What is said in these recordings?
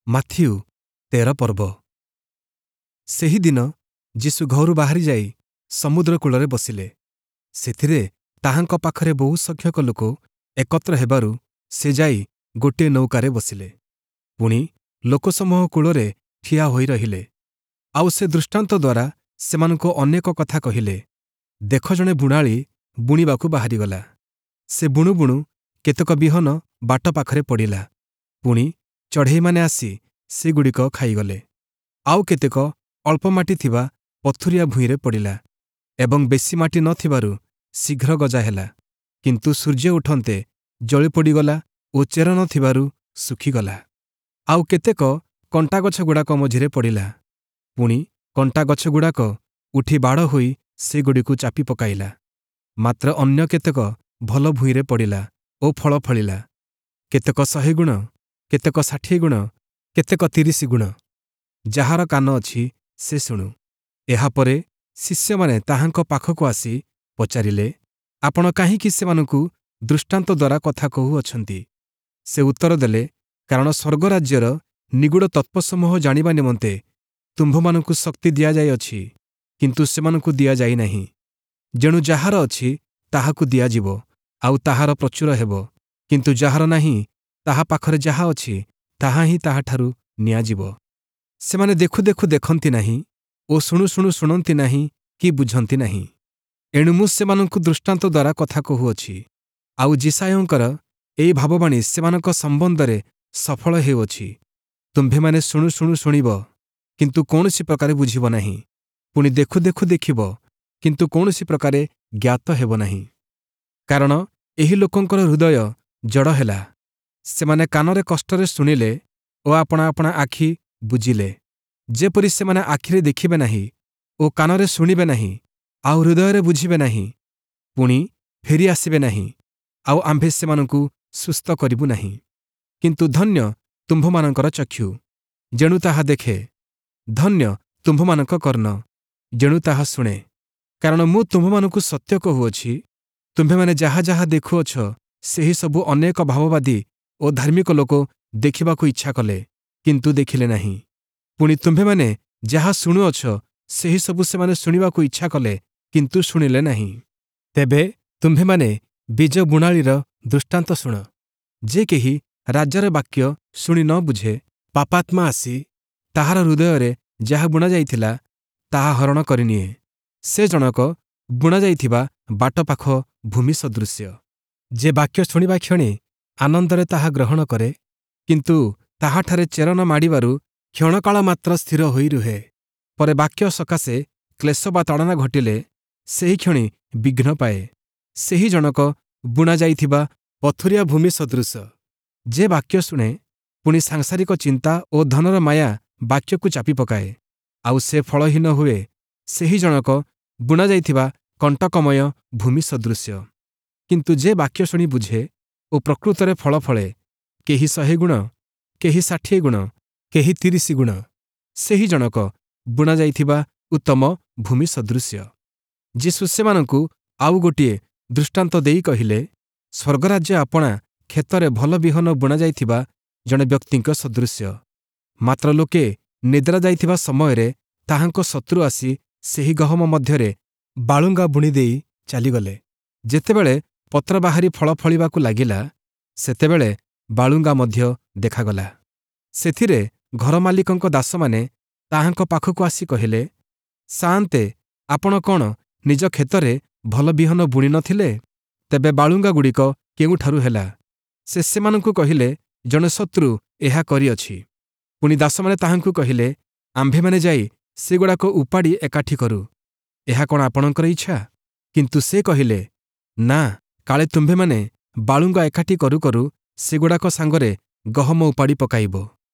Matthew 13 ପର୍ବ। ସେହିଦିନ ଯୀଶୁ ଘରୁ ବାହାରି ଯାଇ ସମୁଦ୍ର କୂଳରେ ବସିଲେ। ସେଥିରେ ତାହାଙ୍କ ପାଖରେ ବହୁ ସଂଖ୍ୟକ ଲୋକ ଏକତ୍ର ହେବାରୁ ସେ ଯାଇ ଗୋଟିଏ ନୌକାରେ ବସିଲେ। ପୁଣି ଲୋକସମୂହ କୂଳରେ ଠିଆ ହୋଇ ରହିଲେ। ଆଉ ସେ ଦୃଷ୍ଟାନ୍ତ ଦ୍ୱାରା ସେମାନଙ୍କୁ ଅନେକ କଥା କହିଲେ। ଦେଖ, ଜଣେ ବୁଣାଳି ବୁଣିବାକୁ ବାହାରିଗଲା। ସେ ବୁଣୁ ବୁଣୁ କେତେକ ବିହନ ବାଟ ପାଖରେ ପଡ଼ିଲା। ପୁଣି ଚଢ଼େଇମାନେ ଆସି ସେଗୁଡ଼ିକ ଖାଇଗଲେ। ଆଉ କେତେକ ଅଳ୍ପ ମାଟି ଥିବା ପଥୁରିଆ ଭୂଇଁରେ ପଡ଼ିଲା ଏବଂ ବେଶୀ ମାଟି ନ ଥିବାରୁ ଶୀଘ୍ର ଗଜା ହେଲା। କିନ୍ତୁ ସୂର୍ଯ୍ୟ ଉଠନ୍ତେ ଜଳି ପୋଡ଼ିଗଲା ଓ ଚେର ନ ଥିବାରୁ ଶୁଖିଗଲା। ଆଉ କେତେକ କଣ୍ଟାଗଛଗୁଡ଼ାକ ମଝିରେ ପଡ଼ିଲା। ପୁଣି କଣ୍ଟାଗଛଗୁଡ଼ାକ ଉଠି ବାଡ଼ ହୋଇ ସେଗୁଡ଼ିକୁ ଚାପି ପକାଇଲା। ମାତ୍ର ଅନ୍ୟ କେତେକ ଭଲ ଭୂଇଁରେ ପଡ଼ିଲା ଓ ଫଳ ଫଳିଲା, କେତେକ 100 ଗୁଣ, କେତେକ 60 ଗୁଣ, କେତେକ 30 ଗୁଣ। ଯାହାର କାନ ଅଛି, ସେ ଶୁଣୁ। ଏହାପରେ ଶିଷ୍ୟମାନେ ତାହାଙ୍କ ପାଖକୁ ଆସି ପଚାରିଲେ, ଆପଣ କାହିଁକି ସେମାନଙ୍କୁ ଦୃଷ୍ଟାନ୍ତ ଦ୍ୱାରା କଥା କହୁଅଛନ୍ତି? ସେ ଉତ୍ତର ଦେଲେ, କାରଣ ସ୍ୱର୍ଗରାଜ୍ୟର ନିଗୂଢ଼ ତତ୍ତ୍ୱସମୂହ ଜାଣିବା ନିମନ୍ତେ ତୁମ୍ଭମାନଙ୍କୁ ଶକ୍ତି ଦିଆଯାଇଅଛି, କିନ୍ତୁ ସେମାନଙ୍କୁ ଦିଆଯାଇନାହିଁ। ଯେଣୁ ଯାହାର ଅଛି, ତାହାକୁ ଦିଆଯିବ, ଆଉ ତାହାର ପ୍ରଚୁର ହେବ; କିନ୍ତୁ ଯାହାର ନାହିଁ, ତାହା ପାଖରେ ଯାହା ଅଛି, ତାହା ହିଁ ତାହାଠାରୁ ନିଆଯିବ। ସେମାନେ ଦେଖୁ ଦେଖୁ ଦେଖନ୍ତି ନାହିଁ ଓ ଶୁଣୁ ଶୁଣୁ ଶୁଣନ୍ତି ନାହିଁ କି ବୁଝନ୍ତି ନାହିଁ। ଏଣୁ ମୁଁ ସେମାନଙ୍କୁ ଦୃଷ୍ଟାନ୍ତ ଦ୍ୱାରା କଥା କହୁଅଛି। ଆଉ ଯିଶାଇୟଙ୍କର ଏହି ଭାବବାଣୀ ସେମାନଙ୍କ ସମ୍ବନ୍ଧରେ ସଫଳ ହେଉଅଛି, ତୁମ୍ଭେମାନେ ଶୁଣୁ ଶୁଣୁ ଶୁଣିବ, କିନ୍ତୁ କୌଣସି ପ୍ରକାରେ ବୁଝିବ ନାହିଁ; ପୁଣି ଦେଖୁ ଦେଖୁ ଦେଖିବ, କିନ୍ତୁ କୌଣସି ପ୍ରକାରେ ଜ୍ଞାତ ହେବ ନାହିଁ। କାରଣ ଏହି ଲୋକଙ୍କର ହୃଦୟ ଜଡ଼ ହେଲା; ସେମାନେ କାନରେ କଷ୍ଟରେ ଶୁଣିଲେ ଓ ଆପଣା ଆପଣା ଆଖି ବୁଜିଲେ, ଯେପରି ସେମାନେ ଆଖିରେ ଦେଖିବେ ନାହିଁ ଓ କାନରେ ଶୁଣିବେ ନାହିଁ ଆଉ ହୃଦୟରେ ବୁଝିବେ ନାହିଁ, ପୁଣି ଫେରି ଆସିବେ ନାହିଁ, ଆଉ ଆମ୍ଭେ ସେମାନଙ୍କୁ ସୁସ୍ଥ କରିବୁ ନାହିଁ। କିନ୍ତୁ ଧନ୍ୟ ତୁମ୍ଭମାନଙ୍କର ଚକ୍ଷୁ, ଯେଣୁ ତାହା ଦେଖେ; ଧନ୍ୟ ତୁମ୍ଭମାନଙ୍କ କର୍ଣ୍ଣ, ଯେଣୁ ତାହା ଶୁଣେ। କାରଣ ମୁଁ ତୁମ୍ଭମାନଙ୍କୁ ସତ୍ୟ କହୁଅଛି, ତୁମ୍ଭେମାନେ ଯାହା ଯାହା ଦେଖୁଅଛ, ସେହି ସବୁ ଅନେକ ଭାବବାଦୀ ଓ ଧାର୍ମିକ ଲୋକ ଦେଖିବାକୁ ଇଚ୍ଛା କଲେ, କିନ୍ତୁ ଦେଖିଲେ ନାହିଁ। ପୁଣି ତୁମ୍ଭେମାନେ ଯାହା ଶୁଣୁଅଛ, ସେହି ସବୁ ସେମାନେ ଶୁଣିବାକୁ ଇଚ୍ଛା କଲେ, କିନ୍ତୁ ଶୁଣିଲେ ନାହିଁ। ତେବେ ତୁମ୍ଭେମାନେ ବୀଜ ବୁଣାଳିର ଦୃଷ୍ଟାନ୍ତ ଶୁଣ। ଯେ କେହି ରାଜ୍ୟର ବାକ୍ୟ ଶୁଣି ନ ବୁଝେ, ପାପାତ୍ମା ଆସି ତାହାର ହୃଦୟରେ ଯାହା ବୁଣାଯାଇଥିଲା, ତାହା ହରଣ କରିନିଏ, ସେ ଜଣକ ବୁଣାଯାଇଥିବା ବାଟପାଖ ଭୂମି ସଦୃଶ୍ୟ। ଯେ ବାକ୍ୟ ଶୁଣିବା କ୍ଷଣି ଆନନ୍ଦରେ ତାହା ଗ୍ରହଣ କରେ, କିନ୍ତୁ ତାହାଠାରେ ଚେର ନ ମାଡ଼ିବାରୁ କ୍ଷଣକାଳ ମାତ୍ର ସ୍ଥିର ହୋଇ ରୁହେ। ପରେ ବାକ୍ୟ ସକାଶେ କ୍ଲେଶ ବା ତାଡ଼ନା ଘଟିଲେ ସେହିକ୍ଷଣି ବିଘ୍ନ ପାଏ। ସେହି ଜଣକ ବୁଣାଯାଇଥିବା ପଥୁରିଆ ଭୂମି ସଦୃଶ। ଯେ ବାକ୍ୟ ଶୁଣେ, ପୁଣି ସାଂସାରିକ ଚିନ୍ତା ଓ ଧନର ମାୟା ବାକ୍ୟକୁ ଚାପି ପକାଏ, ଆଉ ସେ ଫଳହୀନ ହୁଏ, ସେହି ଜଣକ ବୁଣାଯାଇଥିବା କଣ୍ଟକମୟ ଭୂମି ସଦୃଶ୍ୟ। କିନ୍ତୁ ଯେ ବାକ୍ୟ ଶୁଣି ବୁଝେ ଓ ପ୍ରକୃତରେ ଫଳ ଫଳେ, କେହି 100 ଗୁଣ, କେହି 60 ଗୁଣ, କେହି 30 ଗୁଣ, ସେହି ଜଣକ ବୁଣାଯାଇଥିବା ଉତ୍ତମ ଭୂମି ସଦୃଶ୍ୟ। ଯୀଶୁ ସେମାନଙ୍କୁ ଆଉ ଗୋଟିଏ ଦୃଷ୍ଟାନ୍ତ ଦେଇ କହିଲେ, ସ୍ୱର୍ଗରାଜ୍ୟ ଆପଣା କ୍ଷେତରେ ଭଲ ବିହନ ବୁଣାଯାଇଥିବା ଜଣେ ବ୍ୟକ୍ତିଙ୍କ ସଦୃଶ୍ୟ। ମାତ୍ର ଲୋକେ ନିଦ୍ରା ଯାଇଥିବା ସମୟରେ ତାହାଙ୍କ ଶତ୍ରୁ ଆସି ସେହି ଗହମ ମଧ୍ୟରେ ବାଳୁଙ୍ଗା ବୁଣିଦେଇ ଚାଲିଗଲେ। ଯେତେବେଳେ ପତ୍ର ବାହାରି ଫଳ ଫଳିବାକୁ ଲାଗିଲା, ସେତେବେଳେ ବାଳୁଙ୍ଗା ମଧ୍ୟ ଦେଖାଗଲା। ସେଥିରେ ଘରମାଲିକଙ୍କ ଦାସମାନେ ତାହାଙ୍କ ପାଖକୁ ଆସି କହିଲେ, ସାଆନ୍ତେ, ଆପଣ କ'ଣ ନିଜ କ୍ଷେତରେ ଭଲ ବିହନ ବୁଣି ନ ଥିଲେ? ତେବେ ବାଳୁଙ୍ଗାଗୁଡ଼ିକ କେଉଁଠାରୁ ହେଲା? ସେ ସେମାନଙ୍କୁ କହିଲେ, ଜଣେ ଶତ୍ରୁ ଏହା କରିଅଛି। ପୁଣି ଦାସମାନେ ତାହାଙ୍କୁ କହିଲେ, ଆମ୍ଭେମାନେ ଯାଇ ସେଗୁଡ଼ାକ ଉପାଡ଼ି ଏକାଠି କରୁ, ଏହା କ'ଣ ଆପଣଙ୍କର ଇଚ୍ଛା? କିନ୍ତୁ ସେ କହିଲେ, ନା, କାଳେ ତୁମ୍ଭେମାନେ ବାଳୁଙ୍ଗା ଏକାଠି କରୁ କରୁ ସେଗୁଡ଼ାକ ସାଙ୍ଗରେ ଗହମ ଉପାଡ଼ି ପକାଇବ।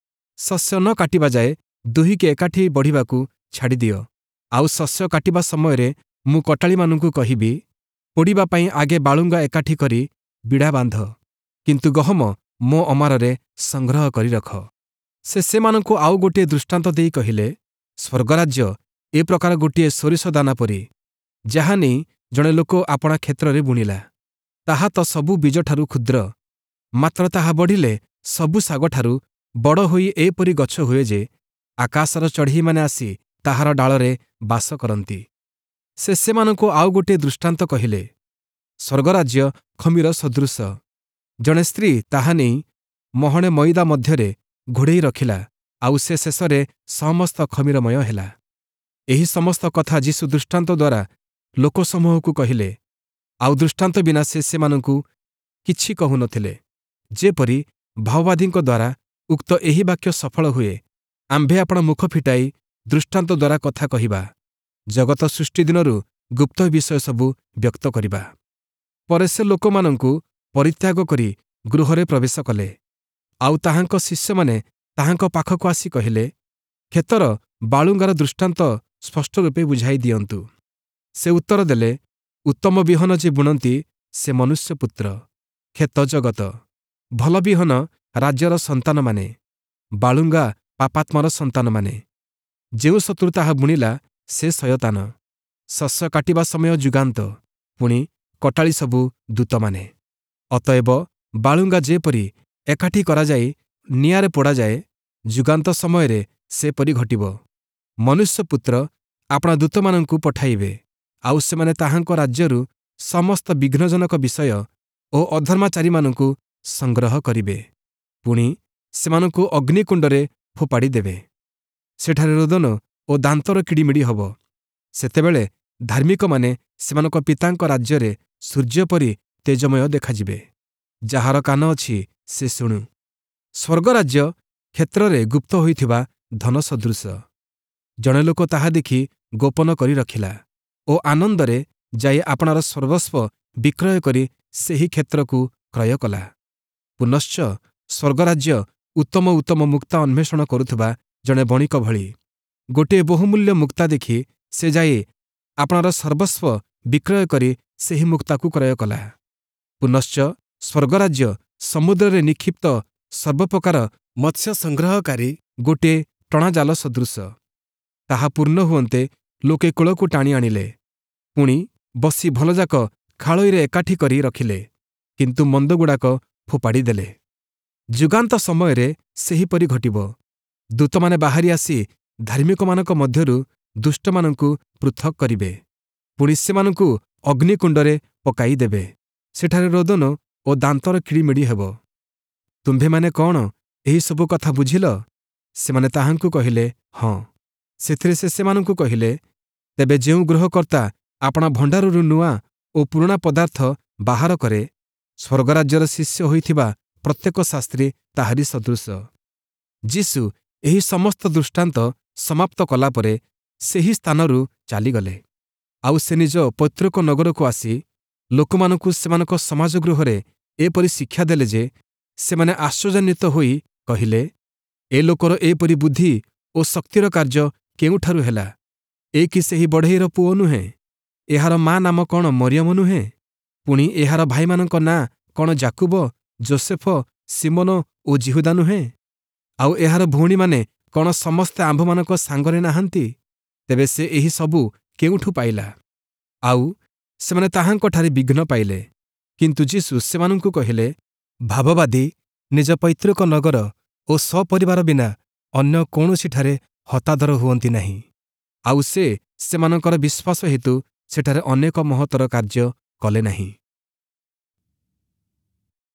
ଶସ୍ୟ ନ କାଟିବା ଯାଏ ଦୁହିଁକି ଏକାଠି ବଢ଼ିବାକୁ ଛାଡ଼ିଦିଅ। ଆଉ ଶସ୍ୟ କାଟିବା ସମୟରେ ମୁଁ କଟାଳିମାନଙ୍କୁ କହିବି, ପୋଡ଼ିବା ପାଇଁ ଆଗେ ବାଳୁଙ୍ଗା ଏକାଠି କରି ବିଡ଼ା ବାନ୍ଧ, କିନ୍ତୁ ଗହମ ମୋ ଅମାରରେ ସଂଗ୍ରହ କରି ରଖ। ସେ ସେମାନଙ୍କୁ ଆଉ ଗୋଟିଏ ଦୃଷ୍ଟାନ୍ତ ଦେଇ କହିଲେ, ସ୍ୱର୍ଗରାଜ୍ୟ ଏ ପ୍ରକାର ଗୋଟିଏ ସୋରିଷ ଦାନା ପରି, ଯାହା ନେଇ ଜଣେ ଲୋକ ଆପଣା କ୍ଷେତ୍ରରେ ବୁଣିଲା। ତାହା ତ ସବୁ ବୀଜଠାରୁ କ୍ଷୁଦ୍ର, ମାତ୍ର ତାହା ବଢ଼ିଲେ ସବୁ ଶାଗଠାରୁ ବଡ଼ ହୋଇ ଏପରି ଗଛ ହୁଏ ଯେ, ଆକାଶର ଚଢ଼େଇମାନେ ଆସି ତାହାର ଡାଳରେ ବାସ କରନ୍ତି। ସେ ସେମାନଙ୍କୁ ଆଉ ଗୋଟିଏ ଦୃଷ୍ଟାନ୍ତ କହିଲେ, ସ୍ୱର୍ଗରାଜ୍ୟ ଖମୀର ସଦୃଶ। ଜଣେ ସ୍ତ୍ରୀ ତାହା ନେଇ ମହଣେ ମଇଦା ମଧ୍ୟରେ ଘୋଡ଼େଇ ରଖିଲା, ଆଉ ସେ ଶେଷରେ ସମସ୍ତ ଖମୀରମୟ ହେଲା। ଏହି ସମସ୍ତ କଥା ଯୀଶୁ ଦୃଷ୍ଟାନ୍ତ ଦ୍ୱାରା ଲୋକସମୂହକୁ କହିଲେ, ଆଉ ଦୃଷ୍ଟାନ୍ତ ବିନା ସେ ସେମାନଙ୍କୁ କିଛି କହୁନଥିଲେ, ଯେପରି ଭାବବାଦୀଙ୍କ ଦ୍ୱାରା ଉକ୍ତ ଏହି ବାକ୍ୟ ସଫଳ ହୁଏ, ଆମ୍ଭେ ଆପଣା ମୁଖ ଫିଟାଇ ଦୃଷ୍ଟାନ୍ତ ଦ୍ୱାରା କଥା କହିବା, ଜଗତ ସୃଷ୍ଟି ଦିନରୁ ଗୁପ୍ତ ବିଷୟ ସବୁ ବ୍ୟକ୍ତ କରିବା। ପରେ ସେ ଲୋକମାନଙ୍କୁ ପରିତ୍ୟାଗ କରି ଗୃହରେ ପ୍ରବେଶ କଲେ। ଆଉ ତାହାଙ୍କ ଶିଷ୍ୟମାନେ ତାହାଙ୍କ ପାଖକୁ ଆସି କହିଲେ, କ୍ଷେତର ବାଳୁଙ୍ଗାର ଦୃଷ୍ଟାନ୍ତ ସ୍ପଷ୍ଟ ରୂପେ ବୁଝାଇ ଦିଅନ୍ତୁ। ସେ ଉତ୍ତର ଦେଲେ, ଉତ୍ତମ ବିହନ ଯେ ବୁଣନ୍ତି ସେ ମନୁଷ୍ୟପୁତ୍ର, କ୍ଷେତ ଜଗତ, ଭଲ ବିହନ ରାଜ୍ୟର ସନ୍ତାନମାନେ, ବାଳୁଙ୍ଗା ପାପାତ୍ମାର ସନ୍ତାନମାନେ। ଯେଉଁ ଶତ୍ରୁ ତାହା ବୁଣିଲା ସେ ଶୟତାନ। ଶସ୍ୟ କାଟିବା ସମୟ ଯୁଗାନ୍ତ, ପୁଣି କଟାଳି ସବୁ ଦୂତମାନେ। ଅତଏବ ବାଳୁଙ୍ଗା ଯେପରି ଏକାଠି କରାଯାଇ ନିଆଁରେ ପୋଡ଼ାଯାଏ, ଯୁଗାନ୍ତ ସମୟରେ ସେପରି ଘଟିବ। ମନୁଷ୍ୟପୁତ୍ର ଆପଣା ଦୂତମାନଙ୍କୁ ପଠାଇବେ, ଆଉ ସେମାନେ ତାହାଙ୍କ ରାଜ୍ୟରୁ ସମସ୍ତ ବିଘ୍ନଜନକ ବିଷୟ ଓ ଅଧର୍ମାଚାରୀମାନଙ୍କୁ ସଂଗ୍ରହ କରିବେ, ପୁଣି ସେମାନଙ୍କୁ ଅଗ୍ନିକୁଣ୍ଡରେ ଫୋପାଡ଼ି ଦେବେ। ସେଠାରେ ରୋଦନ ଓ ଦାନ୍ତର କିଡ଼ିମିଡ଼ି ହେବ। ସେତେବେଳେ ଧାର୍ମିକମାନେ ସେମାନଙ୍କ ପିତାଙ୍କ ରାଜ୍ୟରେ ସୂର୍ଯ୍ୟ ପରି ତେଜମୟ ଦେଖାଯିବେ। ଯାହାର କାନ ଅଛି ସେ ଶୁଣୁ। ସ୍ୱର୍ଗରାଜ୍ୟ କ୍ଷେତ୍ରରେ ଗୁପ୍ତ ହୋଇଥିବା ଧନ ସଦୃଶ। ଜଣେ ଲୋକ ତାହା ଦେଖି ଗୋପନ କରି ରଖିଲା ଓ ଆନନ୍ଦରେ ଯାଇ ଆପଣାର ସର୍ବସ୍ୱ ବିକ୍ରୟ କରି ସେହି କ୍ଷେତ୍ରକୁ କ୍ରୟ କଲା। ପୁନଶ୍ଚ ସ୍ୱର୍ଗରାଜ୍ୟ ଉତ୍ତମ ଉତ୍ତମ ମୁକ୍ତା ଅନ୍ୱେଷଣ କରୁଥିବା ଜଣେ ବଣିକ ଭଳି। ଗୋଟିଏ ବହୁମୂଲ୍ୟ ମୁକ୍ତା ଦେଖି ସେ ଯାଇ ଆପଣାର ସର୍ବସ୍ୱ ବିକ୍ରୟ କରି ସେହି ମୁକ୍ତାକୁ କ୍ରୟ କଲା। ପୁନଶ୍ଚ ସ୍ୱର୍ଗରାଜ୍ୟ ସମୁଦ୍ରରେ ନିକ୍ଷିପ୍ତ ସର୍ବପ୍ରକାର ମତ୍ସ୍ୟ ସଂଗ୍ରହକାରୀ ଗୋଟିଏ ଟଣାଜାଲ ସଦୃଶ। ତାହା ପୂର୍ଣ୍ଣ ହୁଅନ୍ତେ ଲୋକେ କୂଳକୁ ଟାଣି ଆଣିଲେ, ପୁଣି ବସି ଭଲଯାକ ଖାଳୋଇରେ ଏକାଠି କରି ରଖିଲେ, କିନ୍ତୁ ମନ୍ଦଗୁଡ଼ାକ ଫୋପାଡ଼ି ଦେଲେ। ଯୁଗାନ୍ତ ସମୟରେ ସେହିପରି ଘଟିବ। ଦୂତମାନେ ବାହାରି ଆସି ଧାର୍ମିକମାନଙ୍କ ମଧ୍ୟରୁ ଦୁଷ୍ଟମାନଙ୍କୁ ପୃଥକ୍ କରିବେ, ପୁଣି ସେମାନଙ୍କୁ ଅଗ୍ନିକୁଣ୍ଡରେ ପକାଇ ଦେବେ। ସେଠାରେ ରୋଦନ ଓ ଦାନ୍ତର କିଡ଼ିମିଡ଼ି ହେବ। ତୁମ୍ଭେମାନେ କ'ଣ ଏହିସବୁ କଥା ବୁଝିଲ? ସେମାନେ ତାହାଙ୍କୁ କହିଲେ, ହଁ। ସେଥିରେ ସେ ସେମାନଙ୍କୁ କହିଲେ, ତେବେ ଯେଉଁ ଗୃହକର୍ତ୍ତା ଆପଣା ଭଣ୍ଡାରରୁ ନୂଆ ଓ ପୁରୁଣା ପଦାର୍ଥ ବାହାର କରେ, ସ୍ୱର୍ଗରାଜ୍ୟର ଶିଷ୍ୟ ହୋଇଥିବା ପ୍ରତ୍ୟେକ ଶାସ୍ତ୍ରୀ ତାହାରି ସଦୃଶ। ଯୀଶୁ ଏହି ସମସ୍ତ ଦୃଷ୍ଟାନ୍ତ ସମାପ୍ତ କଲାପରେ ସେହି ସ୍ଥାନରୁ ଚାଲିଗଲେ। ଆଉ ସେ ନିଜ ପୈତୃକ ନଗରକୁ ଆସି ଲୋକମାନଙ୍କୁ ସେମାନଙ୍କ ସମାଜଗୃହରେ ଏପରି ଶିକ୍ଷା ଦେଲେ ଯେ ସେମାନେ ଆଶ୍ଚର୍ଯ୍ୟାନ୍ୱିତ ହୋଇ କହିଲେ, ଏ ଲୋକର ଏପରି ବୁଦ୍ଧି ଓ ଶକ୍ତିର କାର୍ଯ୍ୟ କେଉଁଠାରୁ ହେଲା? ଏ କି ସେହି ବଢ଼େଇର ପୁଅ ନୁହେଁ? ଏହାର ମା ନାମ କ'ଣ ମରିୟମ ନୁହେଁ? ପୁଣି ଏହାର ଭାଇମାନଙ୍କ ନାଁ କ'ଣ ଯାକୁବ, ଯୋସେଫ, ଶିମୋନ ଓ ଯିହୁଦା ନୁହେଁ? ଆଉ ଏହାର ଭଉଣୀମାନେ କ'ଣ ସମସ୍ତେ ଆମ୍ଭମାନଙ୍କ ସାଙ୍ଗରେ ନାହାନ୍ତି? ତେବେ ସେ ଏହି ସବୁ କେଉଁଠୁ ପାଇଲା? ଆଉ ସେମାନେ ତାହାଙ୍କଠାରେ ବିଘ୍ନ ପାଇଲେ। କିନ୍ତୁ ଯୀଶୁ ସେମାନଙ୍କୁ କହିଲେ, ଭାବବାଦୀ ନିଜ ପୈତୃକ ନଗର ଓ ସପରିବାର ବିନା ଅନ୍ୟ କୌଣସିଠାରେ ହତାଦର ହୁଅନ୍ତି ନାହିଁ। ଆଉ ସେ ସେମାନଙ୍କର ବିଶ୍ୱାସ ହେତୁ ସେଠାରେ ଅନେକ ମହତ୍ତର କାର୍ଯ୍ୟ କଲେ ନାହିଁ।